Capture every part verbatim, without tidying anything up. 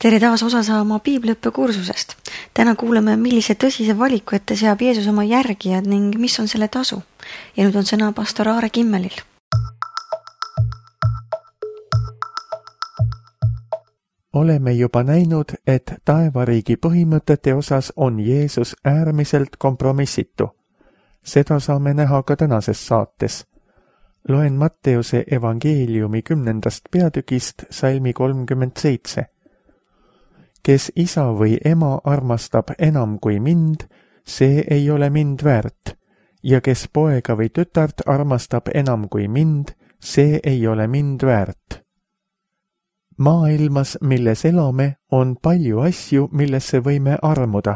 Tere taas osa saama piibliõppe kursusest. Täna kuuleme, millise tõsise valiku ette seab Jeesus oma järgijad ning mis on selle tasu. Ja nüüd on sõna pastor Aare Kimmelil. Oleme juba näinud, et taevariigi põhimõtete osas on Jeesus äärmiselt kompromissitu. Seda saame näha ka tänases saates. Loen Matteuse evangeeliumi kümnendast peatükist salmi kolmkümmend seitse. Kes isa või ema armastab enam kui mind, see ei ole mind väärt, ja kes poega või tütart armastab enam kui mind, see ei ole mind väärt. Maailmas, milles elame, on palju asju, millesse võime armuda.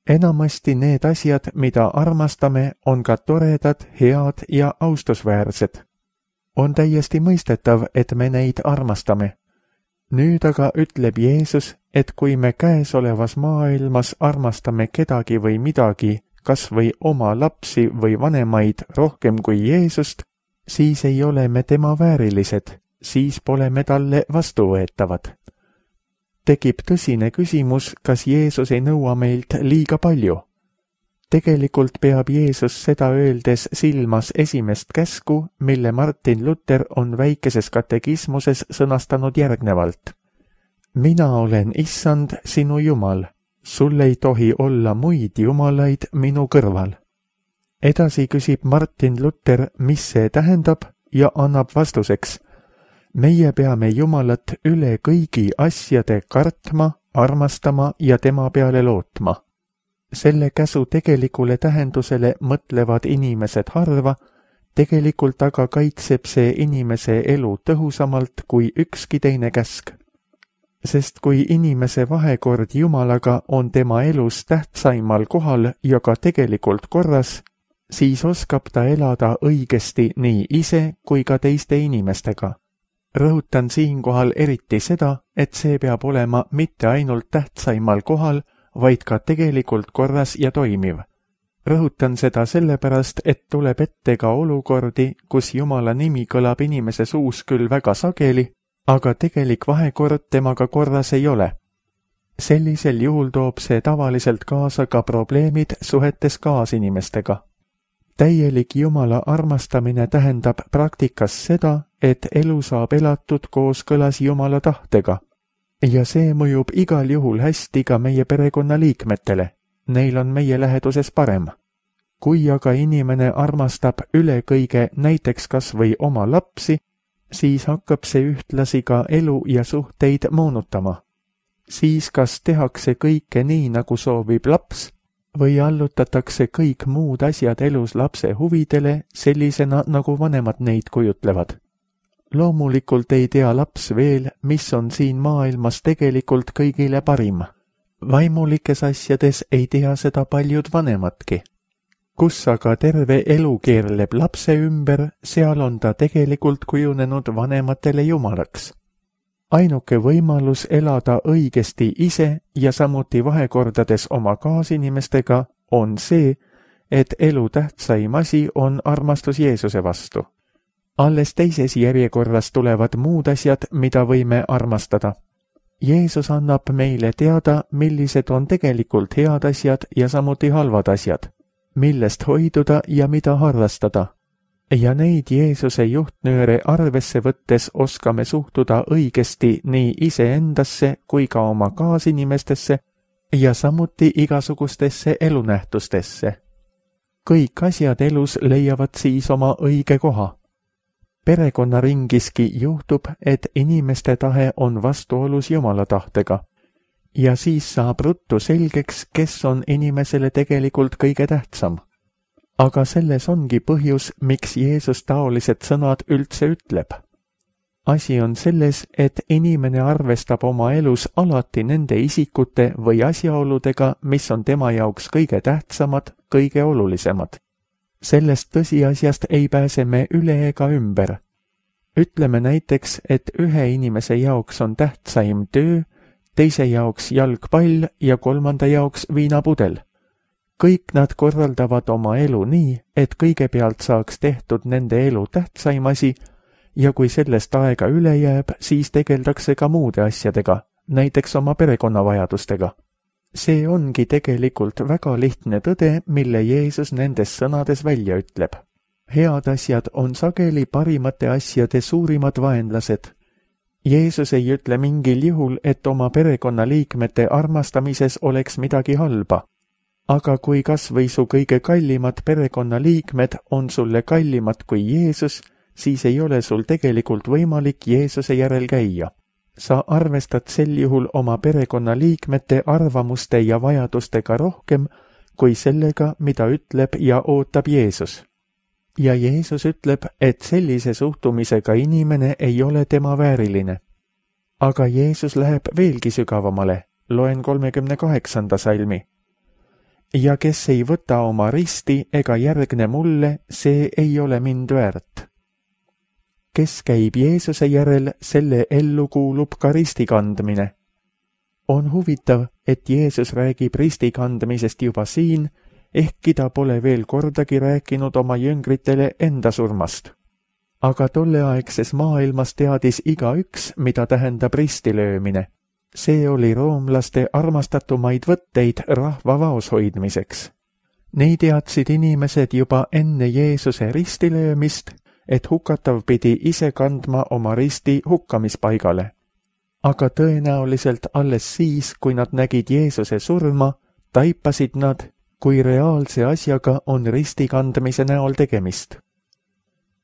Enamasti need asjad, mida armastame, on ka toredad, head ja austusväärsed. On täiesti mõistetav, et me neid armastame. Nüüd aga ütleb Jeesus, et kui me käesolevas maailmas armastame kedagi või midagi, kas või oma lapsi või vanemaid rohkem kui Jeesust, siis ei ole me tema väärilised, siis pole me talle vastuvõetavad. Tekib tõsine küsimus, kas Jeesus ei nõua meilt liiga palju. Tegelikult peab Jeesus seda öeldes silmas esimest käsku, mille Martin Luther on väikeses katekismuses sõnastanud järgnevalt. Mina olen issand sinu jumal, sul ei tohi olla muid jumalaid minu kõrval. Edasi küsib Martin Luther, mis see tähendab, ja annab vastuseks. Meie peame Jumalat üle kõigi asjade kartma, armastama ja tema peale lootma. Selle käsu tegelikule tähendusele mõtlevad inimesed harva, tegelikult aga kaitseb see inimese elu tõhusamalt kui ükski teine käsk. Sest kui inimese vahekord Jumalaga on tema elus tähtsaimal kohal ja ka tegelikult korras, siis oskab ta elada õigesti nii ise kui ka teiste inimestega. Rõhutan siinkohal eriti seda, et see peab olema mitte ainult tähtsaimal kohal, vaid ka tegelikult korras ja toimiv. Rõhutan seda sellepärast, et tuleb ette ka olukordi, kus Jumala nimi kõlab inimese suus küll väga sageli, aga tegelik vahekord temaga korras ei ole. Sellisel juhul toob see tavaliselt kaasa ka probleemid suhetes kaasinimestega. Täielik Jumala armastamine tähendab praktikas seda, et elu saab elatud kooskõlas Jumala tahtega. Ja see mõjub igal juhul hästi ka meie perekonnaliikmetele. Neil on meie läheduses parem. Kui aga inimene armastab üle kõige näiteks kas või oma lapsi, siis hakkab see ühtlasi ka elu ja suhteid moonutama. Siis kas tehakse kõike nii, nagu soovib laps, või allutatakse kõik muud asjad elus lapse huvidele sellisena, nagu vanemad neid kujutlevad. Loomulikult ei tea laps veel, mis on siin maailmas tegelikult kõigile parim. Vaimulikes asjades ei tea seda paljud vanemadki. Kus aga terve elu keerleb lapse ümber, seal on ta tegelikult kujunenud vanematele jumalaks. Ainuke võimalus elada õigesti ise ja samuti vahekordades oma kaasinimestega on see, et elu tähtsaim asi on armastus Jeesuse vastu. Alles teises järjekorras tulevad muud asjad, mida võime armastada. Jeesus annab meile teada, millised on tegelikult head asjad ja samuti halvad asjad, millest hoiduda ja mida harrastada. Ja neid Jeesuse juhtnööre arvesse võttes oskame suhtuda õigesti nii iseendasse kui ka oma kaasinimestesse ja samuti igasugustesse elunähtustesse. Kõik asjad elus leiavad siis oma õige koha. Perekonnaringiski juhtub, et inimeste tahe on vastuolus Jumala tahtega. Ja siis saab ruttu selgeks, kes on inimesele tegelikult kõige tähtsam. Aga selles ongi põhjus, miks Jeesus taolised sõnad üldse ütleb. Asi on selles, et inimene arvestab oma elus alati nende isikute või asjaoludega, mis on tema jaoks kõige tähtsamad, kõige olulisemad. Sellest tõsiasjast ei pääse me üle ega ümber. Ütleme näiteks, et ühe inimese jaoks on tähtsaim töö, teise jaoks jalgpall ja kolmanda jaoks viinapudel. Kõik nad korraldavad oma elu nii, et kõigepealt saaks tehtud nende elu tähtsaim asi ja kui sellest aega üle jääb, siis tegeldakse ka muude asjadega, näiteks oma perekonnavajadustega. See ongi tegelikult väga lihtne tõde, mille Jeesus nendes sõnades välja ütleb. Head asjad on sageli parimate asjade suurimad vaenlased. Jeesus ei ütle mingil juhul, et oma perekonnaliikmete armastamises oleks midagi halba. Aga kui kas või su kõige kallimad perekonnaliikmed on sulle kallimad kui Jeesus, siis ei ole sul tegelikult võimalik Jeesuse järel käia. Sa arvestad sel juhul oma perekonnaliikmete arvamuste ja vajadustega rohkem kui sellega, mida ütleb ja ootab Jeesus. Ja Jeesus ütleb, et sellise suhtumisega inimene ei ole tema vääriline. Aga Jeesus läheb veelgi sügavamale, loen kolmekümne kaheksanda salmi. Ja kes ei võta oma risti ega järgne mulle, see ei ole mind väärt. Kes käib Jeesuse järel, selle ellu kuulub ka ristikandmine. On huvitav, et Jeesus räägib ristikandmisest juba siin, ehkki ta pole veel kordagi rääkinud oma jüngritele enda surmast. Aga tolleaegses maailmas teadis igaüks, mida tähendab ristilöömine. See oli roomlaste armastatumaid võtteid rahva vaos hoidmiseks. Neid teadsid inimesed juba enne Jeesuse ristilöömist, et hukatav pidi ise kandma oma risti hukkamispaigale. Aga tõenäoliselt alles siis, kui nad nägid Jeesuse surma, taipasid nad, kui reaalse asjaga on ristikandmise näol tegemist.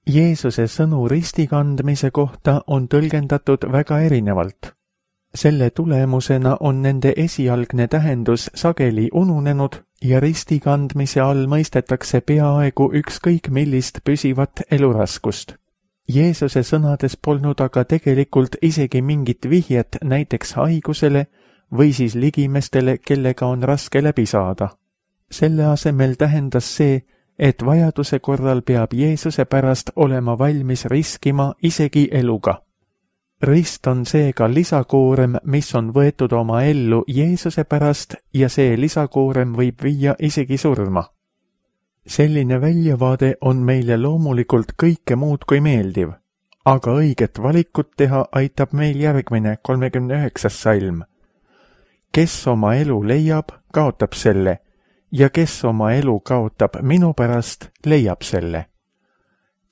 Jeesuse sõnu ristikandmise kohta on tõlgendatud väga erinevalt. Selle tulemusena on nende esialgne tähendus sageli ununenud ja ristikandmise all mõistetakse peaaegu ükskõik millist püsivat eluraskust. Jeesuse sõnades polnud aga tegelikult isegi mingit vihjet näiteks haigusele või siis ligimestele, kellega on raske läbi saada. Selle asemel tähendas see, et vajaduse korral peab Jeesuse pärast olema valmis riskima isegi eluga. Rist on seega lisakoorem, mis on võetud oma ellu Jeesuse pärast ja see lisakoorem võib viia isegi surma. Selline väljavaade on meile loomulikult kõike muud kui meeldiv, aga õiget valikut teha aitab meil järgmine kolmekümne üheksas salm. Kes oma elu leiab, kaotab selle, ja kes oma elu kaotab minu pärast, leiab selle.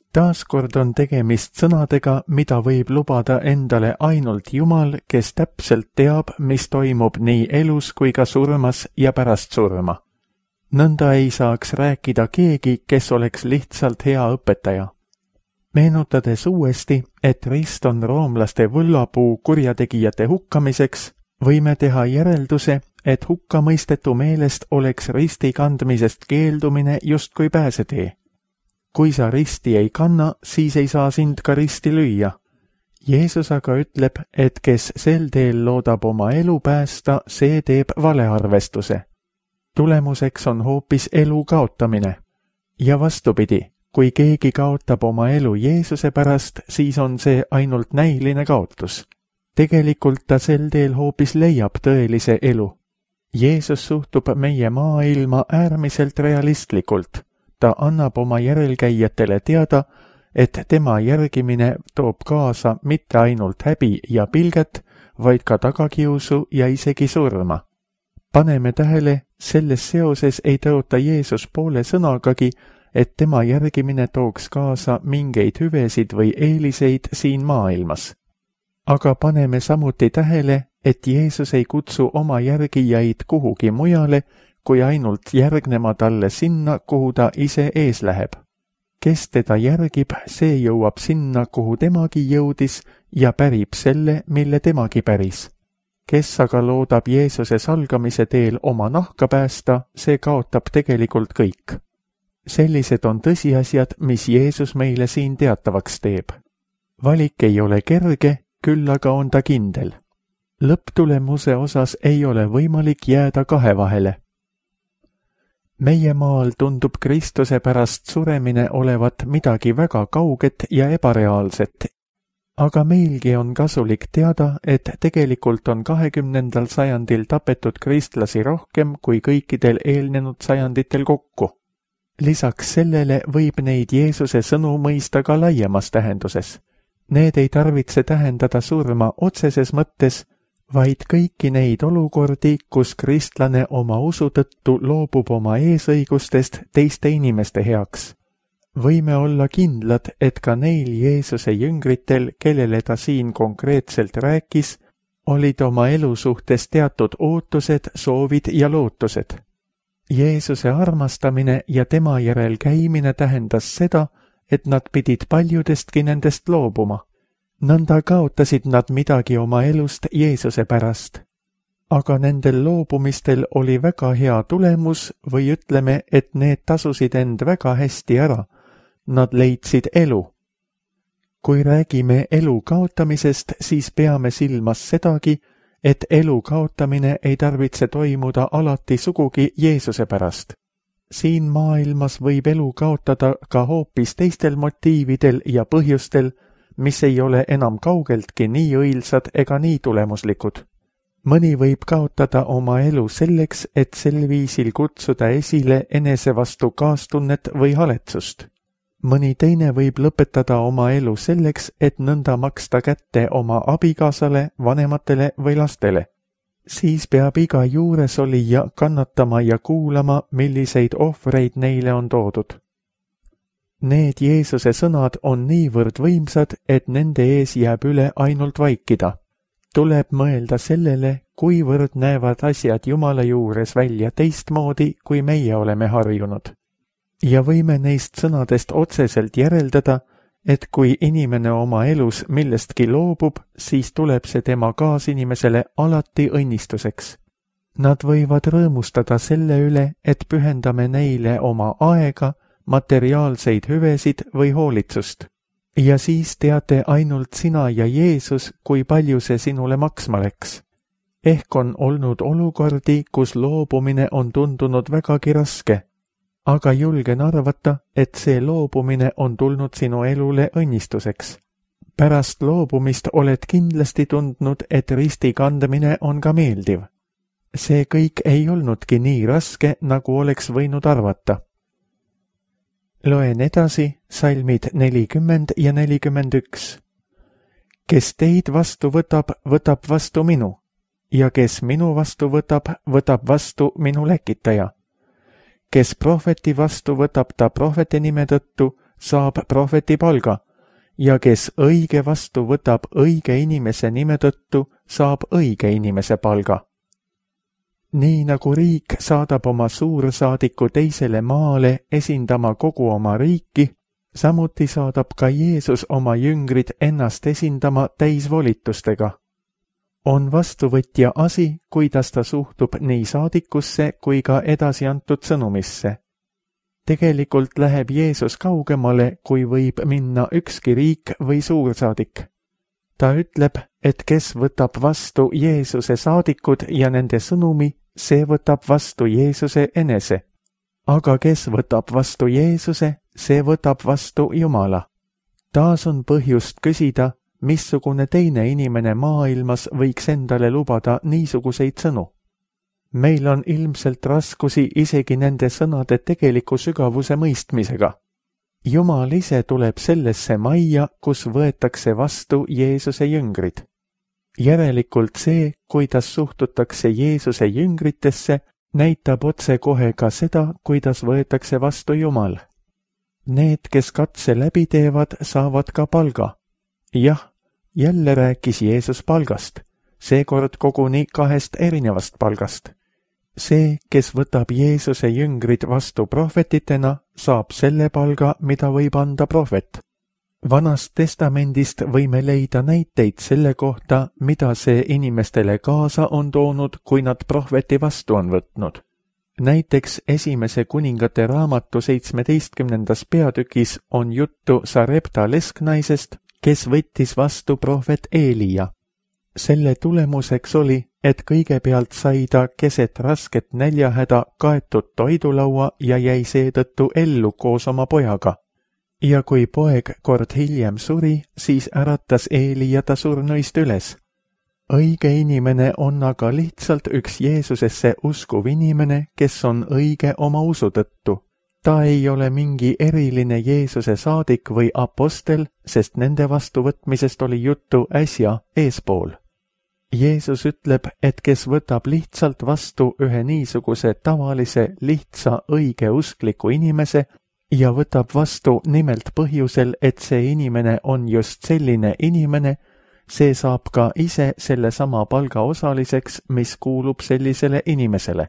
Taaskord on tegemist sõnadega, mida võib lubada endale ainult Jumal, kes täpselt teab, mis toimub nii elus kui ka surmas ja pärast surma. Nõnda ei saaks rääkida keegi, kes oleks lihtsalt hea õpetaja. Meenutades uuesti, et rist on roomlaste võllapuu kurjategijate hukkamiseks, võime teha järelduse, et hukkamõistetu meelest oleks risti kandmisest keeldumine justkui pääsetee. Kui sa risti ei kanna, siis ei saa sind ka risti lüüa. Jeesus aga ütleb, et kes sel teel loodab oma elu päästa, see teeb valearvestuse. Tulemuseks on hoopis elu kaotamine. Ja vastupidi, kui keegi kaotab oma elu Jeesuse pärast, siis on see ainult näiline kaotus. Tegelikult ta sel teel hoopis leiab tõelise elu. Jeesus suhtub meie maailma äärmiselt realistlikult. Ta annab oma järelkäijatele teada, et tema järgimine toob kaasa mitte ainult häbi ja pilget, vaid ka tagakiusu ja isegi surma. Paneme tähele, selles seoses ei tõota Jeesus poole sõnagagi, et tema järgimine tooks kaasa mingeid hüvesid või eeliseid siin maailmas. Aga paneme samuti tähele, et Jeesus ei kutsu oma järgijaid kuhugi mujale, kui ainult järgnema talle sinna, kuhu ta ise ees läheb. Kes teda järgib, see jõuab sinna, kuhu temagi jõudis ja pärib selle, mille temagi päris. Kes aga loodab Jeesuse salgamise teel oma nahka päästa, see kaotab tegelikult kõik. Sellised on tõsiasjad, mis Jeesus meile siin teatavaks teeb. Valik ei ole kerge, küll aga on ta kindel. Lõpptulemuse osas ei ole võimalik jääda kahe vahele. Meie maal tundub Kristuse pärast suremine olevat midagi väga kauget ja ebareaalset, aga meilgi on kasulik teada, et tegelikult on kahekümnendal sajandil tapetud kristlasi rohkem kui kõikidel eelnenud sajanditel kokku. Lisaks sellele võib neid Jeesuse sõnu mõista ka laiemas tähenduses. Need ei tarvitse tähendada surma otseses mõttes, vaid kõiki neid olukordi, kus kristlane oma usu tõttu loobub oma eesõigustest teiste inimeste heaks. Võime olla kindlad, et ka neil Jeesuse jüngritel, kellele ta siin konkreetselt rääkis, olid oma elu suhtes teatud ootused, soovid ja lootused. Jeesuse armastamine ja tema järel käimine tähendas seda, et nad pidid paljudestki nendest loobuma. Nõnda kaotasid nad midagi oma elust Jeesuse pärast. Aga nendel loobumistel oli väga hea tulemus või ütleme, et need tasusid end väga hästi ära. Nad leidsid elu. Kui räägime elu kaotamisest, siis peame silmas sedagi, et elu kaotamine ei tarvitse toimuda alati sugugi Jeesuse pärast. Siin maailmas võib elu kaotada ka hoopis teistel motiividel ja põhjustel, mis ei ole enam kaugeltki nii õilsad ega nii tulemuslikud. Mõni võib kaotada oma elu selleks, et sel viisil kutsuda esile enese vastu kaastunnet või haletsust. Mõni teine võib lõpetada oma elu selleks, et nõnda maksta kätte oma abikaasale, vanematele või lastele. Siis peab iga juures olija kannatama ja kuulama, milliseid ohvreid neile on toodud. Need Jeesuse sõnad on niivõrd võimsad, et nende ees jääb üle ainult vaikida. Tuleb mõelda sellele, kuivõrd näevad asjad Jumala juures välja teistmoodi, kui meie oleme harjunud. Ja võime neist sõnadest otseselt järeldada, et kui inimene oma elus millestki loobub, siis tuleb see tema kaasinimesele alati õnnistuseks. Nad võivad rõõmustada selle üle, et pühendame neile oma aega, materiaalseid hüvesid või hoolitsust. Ja siis teate ainult sina ja Jeesus, kui palju see sinule maksma läks. Ehk on olnud olukordi, kus loobumine on tundunud vägagi raske. Aga julgen arvata, et see loobumine on tulnud sinu elule õnnistuseks. Pärast loobumist oled kindlasti tundnud, et risti kandmine on ka meeldiv. See kõik ei olnudki nii raske, nagu oleks võinud arvata. Loen edasi salmid nelikümmend ja nelikümmend üks. Kes teid vastu võtab, võtab vastu minu, ja kes minu vastu võtab, võtab vastu minu läkitaja. Kes prohveti vastu võtab ta prohveti nime tõttu, saab prohveti palga, ja kes õige vastu võtab õige inimese nime tõttu, saab õige inimese palga. Nii nagu riik saadab oma suursaadiku teisele maale esindama kogu oma riiki, samuti saadab ka Jeesus oma jüngrid ennast esindama täisvolitustega. On vastuvõtja asi, kuidas ta suhtub nii saadikusse kui ka edasi antud sõnumisse. Tegelikult läheb Jeesus kaugemale, kui võib minna ükski riik või suursaadik. Ta ütleb, et kes võtab vastu Jeesuse saadikud ja nende sõnumi, see võtab vastu Jeesuse enese. Aga kes võtab vastu Jeesuse, see võtab vastu Jumala. Taas on põhjust küsida, missugune teine inimene maailmas võiks endale lubada niisuguseid sõnu. Meil on ilmselt raskusi isegi nende sõnade tegeliku sügavuse mõistmisega. Jumal ise tuleb sellesse majja, kus võetakse vastu Jeesuse jüngrid. Järelikult see, kuidas suhtutakse Jeesuse jüngritesse, näitab otse kohe ka seda, kuidas võetakse vastu Jumal. Need, kes katse läbi teevad, saavad ka palga. Jah, jälle rääkis Jeesus palgast, seekord koguni kahest erinevast palgast. See, kes võtab Jeesuse jüngrid vastu prohvetitena, saab selle palga, mida võib anda prohvet. Vanast testamendist võime leida näiteid selle kohta, mida see inimestele kaasa on toonud, kui nad prohveti vastu on võtnud. Näiteks esimese kuningate raamatu seitsmeteistkümnendas peatükis on juttu Sarepta lesknaisest, kes võttis vastu prohvet Eelia. Selle tulemuseks oli, et kõigepealt sai ta keset rasket näljahäda kaetud toidulaua ja jäi seetõttu ellu koos oma pojaga. Ja kui poeg kord hiljem suri, siis äratas Eelia ta surnuist üles. Õige inimene on aga lihtsalt üks Jeesusesse uskuv inimene, kes on õige oma usu tõttu. Ta ei ole mingi eriline Jeesuse saadik või apostel, sest nende vastuvõtmisest oli juttu äsja eespool. Jeesus ütleb, et kes võtab lihtsalt vastu ühe niisuguse tavalise, lihtsa, õigeuskliku inimese ja võtab vastu nimelt põhjusel, et see inimene on just selline inimene, see saab ka ise sellesama palga osaliseks, mis kuulub sellisele inimesele.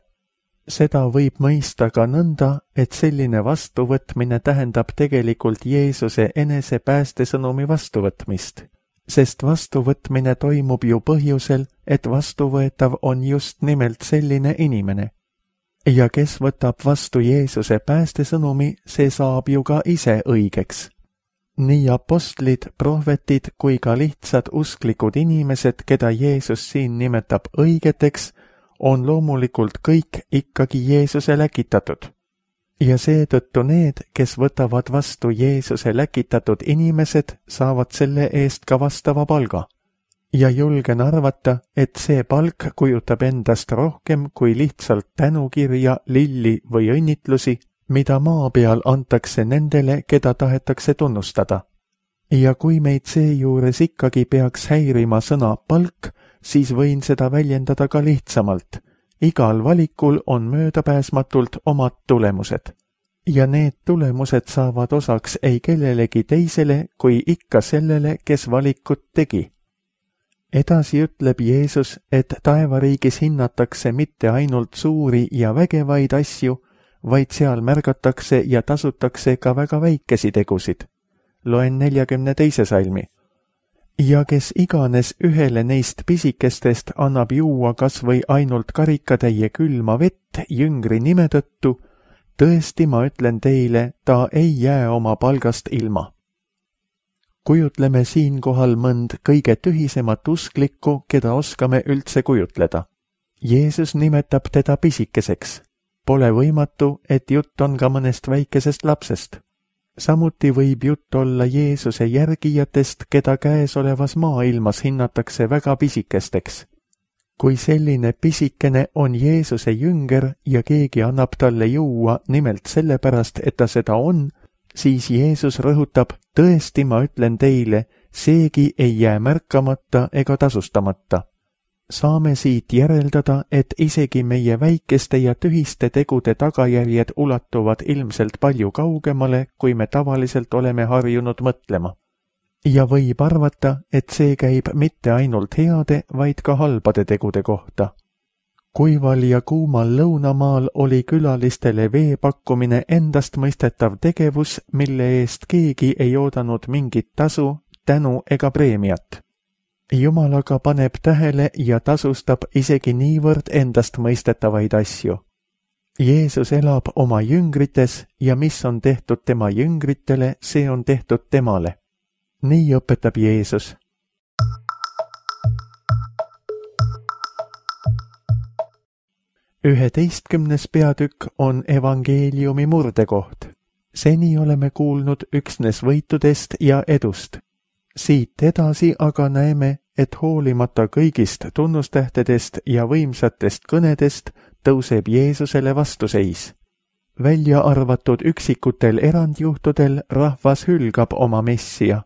Seda võib mõista ka nõnda, et selline vastuvõtmine tähendab tegelikult Jeesuse enese päästesõnumi vastuvõtmist, sest vastuvõtmine toimub ju põhjusel, et vastuvõetav on just nimelt selline inimene. Ja kes võtab vastu Jeesuse päästesõnumi, see saab ju ka ise õigeks. Nii apostlid, prohvetid kui ka lihtsad usklikud inimesed, keda Jeesus siin nimetab õigeteks, on loomulikult kõik ikkagi Jeesuse läkitatud. Ja seetõttu need, kes võtavad vastu Jeesuse läkitatud inimesed, saavad selle eest ka vastava palga. Ja julgen arvata, et see palk kujutab endast rohkem kui lihtsalt tänukirja, lilli või õnnitlusi, mida maa peal antakse nendele, keda tahetakse tunnustada. Ja kui meid seejuures ikkagi peaks häirima sõna palk, siis võin seda väljendada ka lihtsamalt. Igal valikul on möödapääsmatult omad tulemused. Ja need tulemused saavad osaks ei kellelegi teisele, kui ikka sellele, kes valikut tegi. Edasi ütleb Jeesus, et taevariigis hinnatakse mitte ainult suuri ja vägevaid asju, vaid seal märgatakse ja tasutakse ka väga väikesi tegusid. Loen neljakümne teise salmi. Ja kes iganes ühele neist pisikestest annab juua kas või ainult karikatäie külma vett jüngri nime tõttu, tõesti ma ütlen teile, ta ei jää oma palgast ilma. Kujutleme siinkohal mõnd kõige tühisemat usklikku, keda oskame üldse kujutleda. Jeesus nimetab teda pisikeseks. Pole võimatu, et jutt on ka mõnest väikesest lapsest. Samuti võib jutt olla Jeesuse järgijatest, keda käesolevas maailmas hinnatakse väga pisikesteks. Kui selline pisikene on Jeesuse jünger ja keegi annab talle juua nimelt sellepärast, et ta seda on, siis Jeesus rõhutab, tõesti ma ütlen teile, seegi ei jää märkamata ega tasustamata. Saame siit järeldada, et isegi meie väikeste ja tühiste tegude tagajärjed ulatuvad ilmselt palju kaugemale, kui me tavaliselt oleme harjunud mõtlema. Ja võib arvata, et see käib mitte ainult heade, vaid ka halbade tegude kohta. Kuival ja kuumal lõunamaal oli külalistele vee pakkumine endastmõistetav tegevus, mille eest keegi ei oodanud mingit tasu, tänu ega preemiat. Jumal aga paneb tähele ja tasustab isegi niivõrd endastmõistetavaid asju. Jeesus elab oma jüngrites ja mis on tehtud tema jüngritele, see on tehtud temale. Nii õpetab Jeesus. Üheteistkümnes peatükk on evangeeliumi murdekoht. Seni oleme kuulnud üksnes võitudest ja edust. Siit edasi aga näeme, et hoolimata kõigist tunnustähtedest ja võimsatest kõnedest tõuseb Jeesusele vastuseis. Välja arvatud üksikutel erandjuhtudel rahvas hülgab oma messia.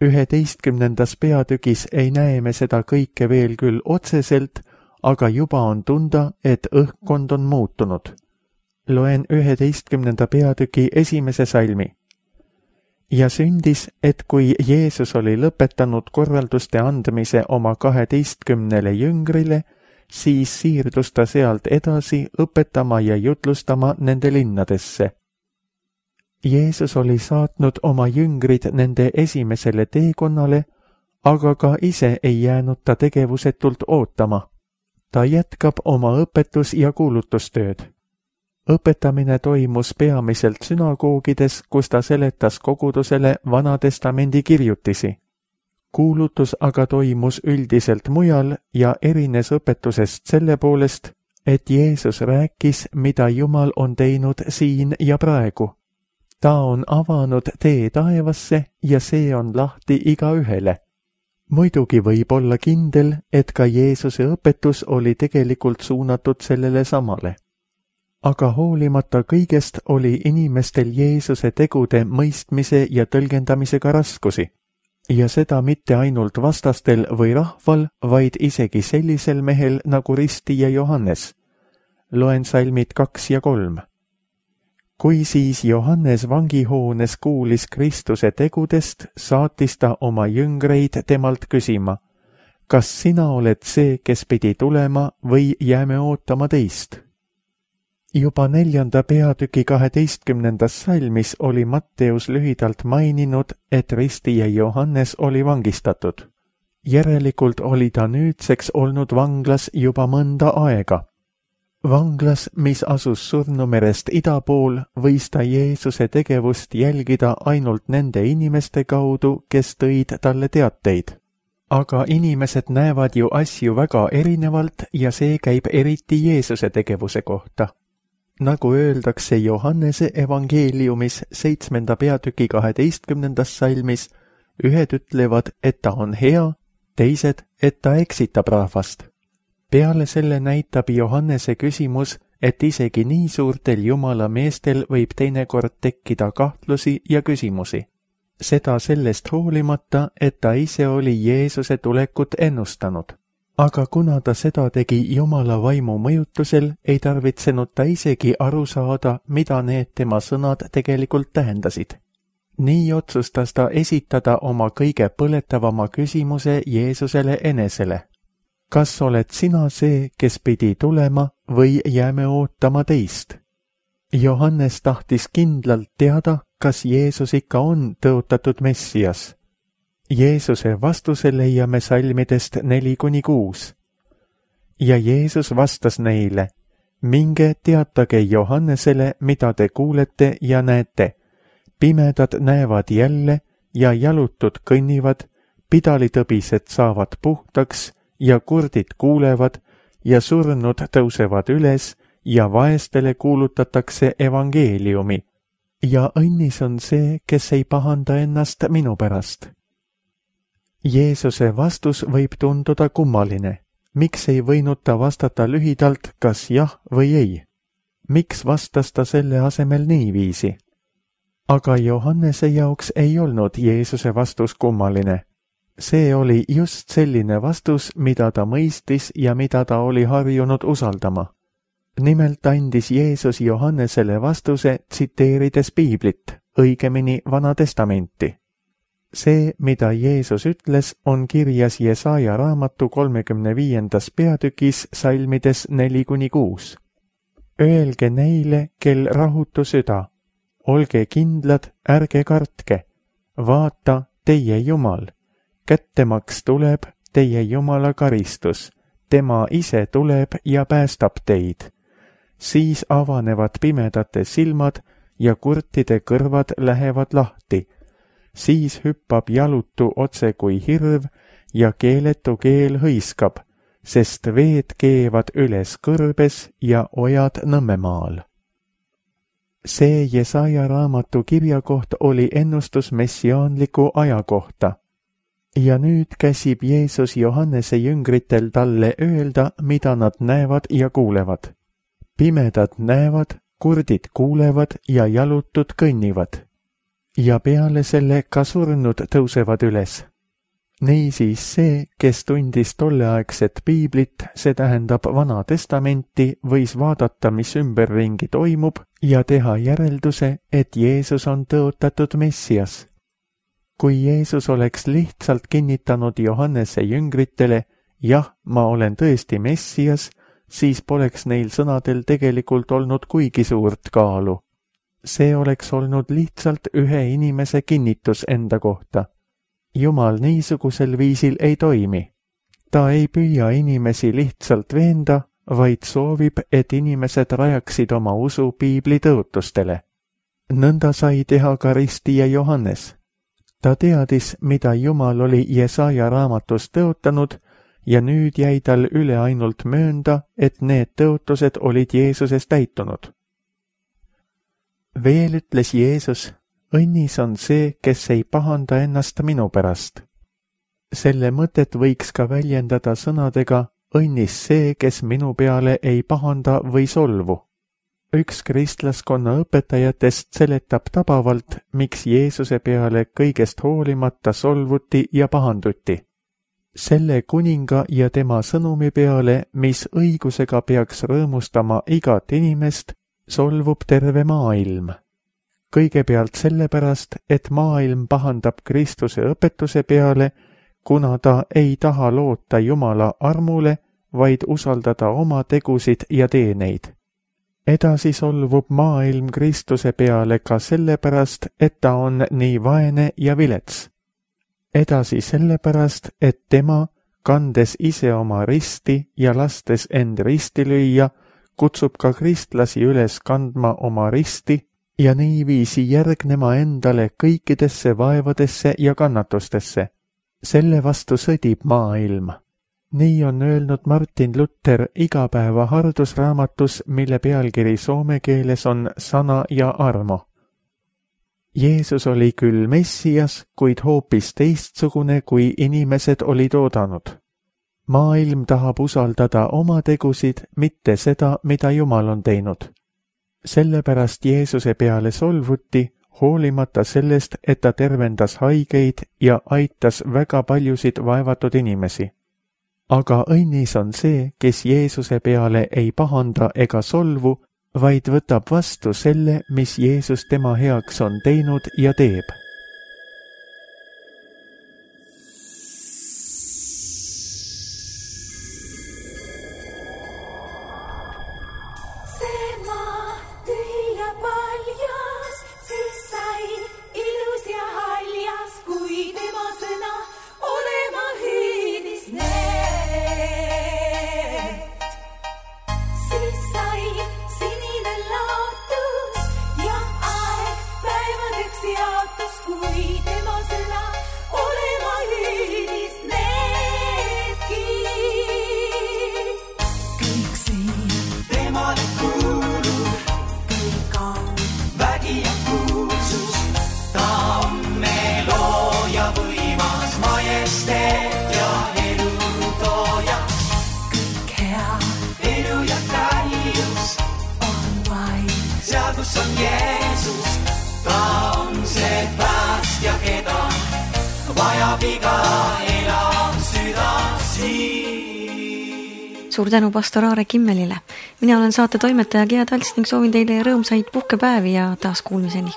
Üheteistkümnendas peatükis ei näe me seda kõike veel küll otseselt, aga juba on tunda, et õhkkond on muutunud. Loen üheteistkümnenda peatüki esimese salmi. Ja sündis, et kui Jeesus oli lõpetanud korralduste andmise oma kaheteistkümnele jüngrile, siis siirdus ta sealt edasi õpetama ja jutlustama nende linnadesse. Jeesus oli saatnud oma jüngrid nende esimesele teekonnale, aga ka ise ei jäänud ta tegevusetult ootama. Ta jätkab oma õpetus- ja kuulutustööd. Õpetamine toimus peamiselt sünagoogides, kus ta seletas kogudusele Vana Testamendi kirjutisi. Kuulutus aga toimus üldiselt mujal ja erines õpetusest selle poolest, et Jeesus rääkis, mida Jumal on teinud siin ja praegu. Ta on avanud tee taevasse ja see on lahti igaühele. Muidugi võib olla kindel, et ka Jeesuse õpetus oli tegelikult suunatud sellele samale. Aga hoolimata kõigest oli inimestel Jeesuse tegude mõistmise ja tõlgendamisega raskusi. ja seda mitte ainult vastastel või rahval, vaid isegi sellisel mehel nagu ristija Johannes. Loen salmid kaks ja kolm. Kui siis Johannes vangihoones kuulis Kristuse tegudest, saatis ta oma jüngreid temalt küsima, kas sina oled see, kes pidi tulema või jääme ootama teist? Juba neljanda peatüki kaheteistkümnendas salmis oli Matteus lühidalt maininud, et ristija Johannes oli vangistatud. Järelikult oli ta nüüdseks olnud vanglas juba mõnda aega. Vanglas, mis asus Surnumerest ida pool, võis ta Jeesuse tegevust jälgida ainult nende inimeste kaudu, kes tõid talle teateid. Aga inimesed näevad ju asju väga erinevalt ja see käib eriti Jeesuse tegevuse kohta. Nagu öeldakse Johannese evangeeliumis seitsmenda peatüki kaheteistkümnendas salmis, ühed ütlevad, et ta on hea, teised, et ta eksitab rahvast. Peale selle näitab Johannese küsimus, et isegi nii suurtel Jumala meestel võib teinekord tekkida kahtlusi ja küsimusi. Seda sellest hoolimata, et ta ise oli Jeesuse tulekut ennustanud. Aga kuna ta seda tegi Jumala vaimu mõjutusel, ei tarvitsenud ta isegi aru saada, mida need tema sõnad tegelikult tähendasid. Nii otsustas ta esitada oma kõige põletavama küsimuse Jeesusele enesele. Kas oled sina see, kes pidi tulema või jääme ootama teist? Johannes tahtis kindlalt teada, kas Jeesus ikka on tõotatud Messias. Jeesuse vastuse leiame salmidest neli kuni kuus. Ja Jeesus vastas neile, minge teatage Johannesele, mida te kuulete ja näete. Pimedad näevad jälle ja jalutud kõnnivad, pidalitõbised saavad puhtaks ja kurdid kuulevad ja surnud tõusevad üles ja vaestele kuulutatakse evangeeliumi. Ja õnnis on see, kes ei pahanda ennast minu pärast. Jeesuse vastus võib tunduda kummaline. Miks ei võinud ta vastata lühidalt, kas jah või ei? Miks vastas ta selle asemel niiviisi? Aga Johannese jaoks ei olnud Jeesuse vastus kummaline. See oli just selline vastus, mida ta mõistis ja mida ta oli harjunud usaldama. Nimelt andis Jeesus Johannesele vastuse tsiteerides Piiblit, õigemini Vana Testamenti. See, mida Jeesus ütles, on kirjas Jesaja raamatu kolmekümne viiendas peatükis salmides neli kuni kuus. Öelge neile, kel rahutu süda, olge kindlad, ärge kartke, vaata, teie Jumal. Kättemaks tuleb, teie Jumala karistus, tema ise tuleb ja päästab teid. Siis avanevad pimedate silmad ja kurtide kõrvad lähevad lahti. Siis hüppab jalutu otse kui hirv ja keeletu keel hõiskab, sest veed keevad üles kõrbes ja ojad Nõmmemaal. See Jesaja raamatu kirjakoht oli ennustus messiaanliku aja kohta. Ja nüüd käsib Jeesus Johannese jüngritel talle öelda, mida nad näevad ja kuulevad. Pimedad näevad, kurdid kuulevad ja jalutud kõnnivad. Ja peale selle ka surnud tõusevad üles. Niisiis see, kes tundis tolleaegset piiblit, see tähendab Vana Testamenti, võis vaadata, mis ümberringi toimub ja teha järelduse, et Jeesus on tõotatud Messias. Kui Jeesus oleks lihtsalt kinnitanud Johannese jüngritele, jah, ma olen tõesti Messias, siis poleks neil sõnadel tegelikult olnud kuigi suurt kaalu. See oleks olnud lihtsalt ühe inimese kinnitus enda kohta. Jumal niisugusel viisil ei toimi. Ta ei püüa inimesi lihtsalt veenda, vaid soovib, et inimesed rajaksid oma usu piibli tõotustele. Nõnda sai teha ka ristija Johannes. Ta teadis, mida Jumal oli Jesaja raamatus tõotanud ja nüüd jäi tal üle ainult möönda, et need tõotused olid Jeesuses täitunud. Veel ütles Jeesus, õnnis on see, kes ei pahanda ennast minu pärast. Selle mõtet võiks ka väljendada sõnadega, õnnis see, kes minu peale ei pahanda või solvu. üks kristlaskonna õpetajatest seletab tabavalt, miks Jeesuse peale kõigest hoolimata solvuti ja pahanduti. Selle kuninga ja tema sõnumi peale, mis õigusega peaks rõõmustama igat inimest, solvub terve maailm. Kõigepealt sellepärast, et maailm pahandab Kristuse õpetuse peale, kuna ta ei taha loota Jumala armule, vaid usaldada oma tegusid ja teeneid. Edasi solvub maailm Kristuse peale ka sellepärast, et ta on nii vaene ja vilets. Edasi sellepärast, et tema, kandes ise oma risti ja lastes end risti lüüa, kutsub ka kristlasi üles kandma oma risti ja niiviisi järgnema endale kõikidesse vaevadesse ja kannatustesse. Selle vastu sõdib maailm. Nii on öelnud Martin Luther igapäeva hardusraamatus, mille pealkiri soome keeles on Sana ja armo. Jeesus oli küll Messias, kuid hoopis teistsugune, kui inimesed olid oodanud. Maailm tahab usaldada oma tegusid, mitte seda, mida Jumal on teinud. Sellepärast Jeesuse peale solvuti, hoolimata sellest, et ta tervendas haigeid ja aitas väga paljusid vaevatud inimesi. Aga õnnis on see, kes Jeesuse peale ei pahanda ega solvu, vaid võtab vastu selle, mis Jeesus tema heaks on teinud ja teeb. on Jeesus, ta on see päästja, keda vajab iga elav süda siin. Suur tänu pastor Aare Kimmelile. Mina olen saate toimetaja Gea Talts ning soovin teile rõõmsaid puhkepäevi ja taas kuulmiseni.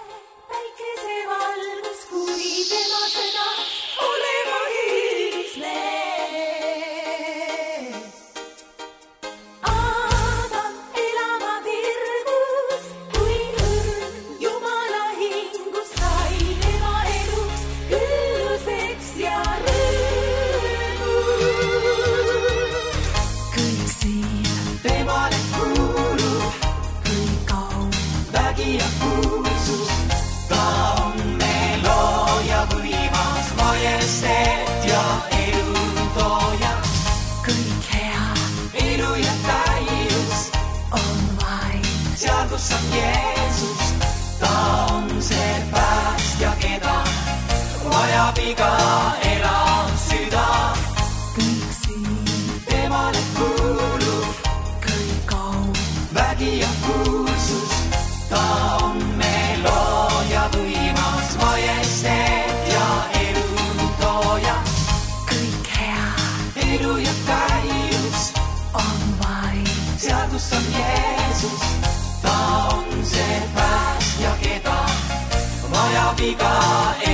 Ja kuulsus, ta on meil looja võimas, majesteet ja elu tooja. Kõik hea, elu ja täius on vaid seal, kus on Jeesus. Ta on see päästja, keda vajab iga elav süda. Kõik siin temale kuulub, kõik au, vägi ja kuulsus. Ta on meil looja võimas, majesteet ja elu tooja. Kõik hea, elu ja täius on vaid seal, kus on Jeesus. Ta on see päästja, keda vajab iga elu.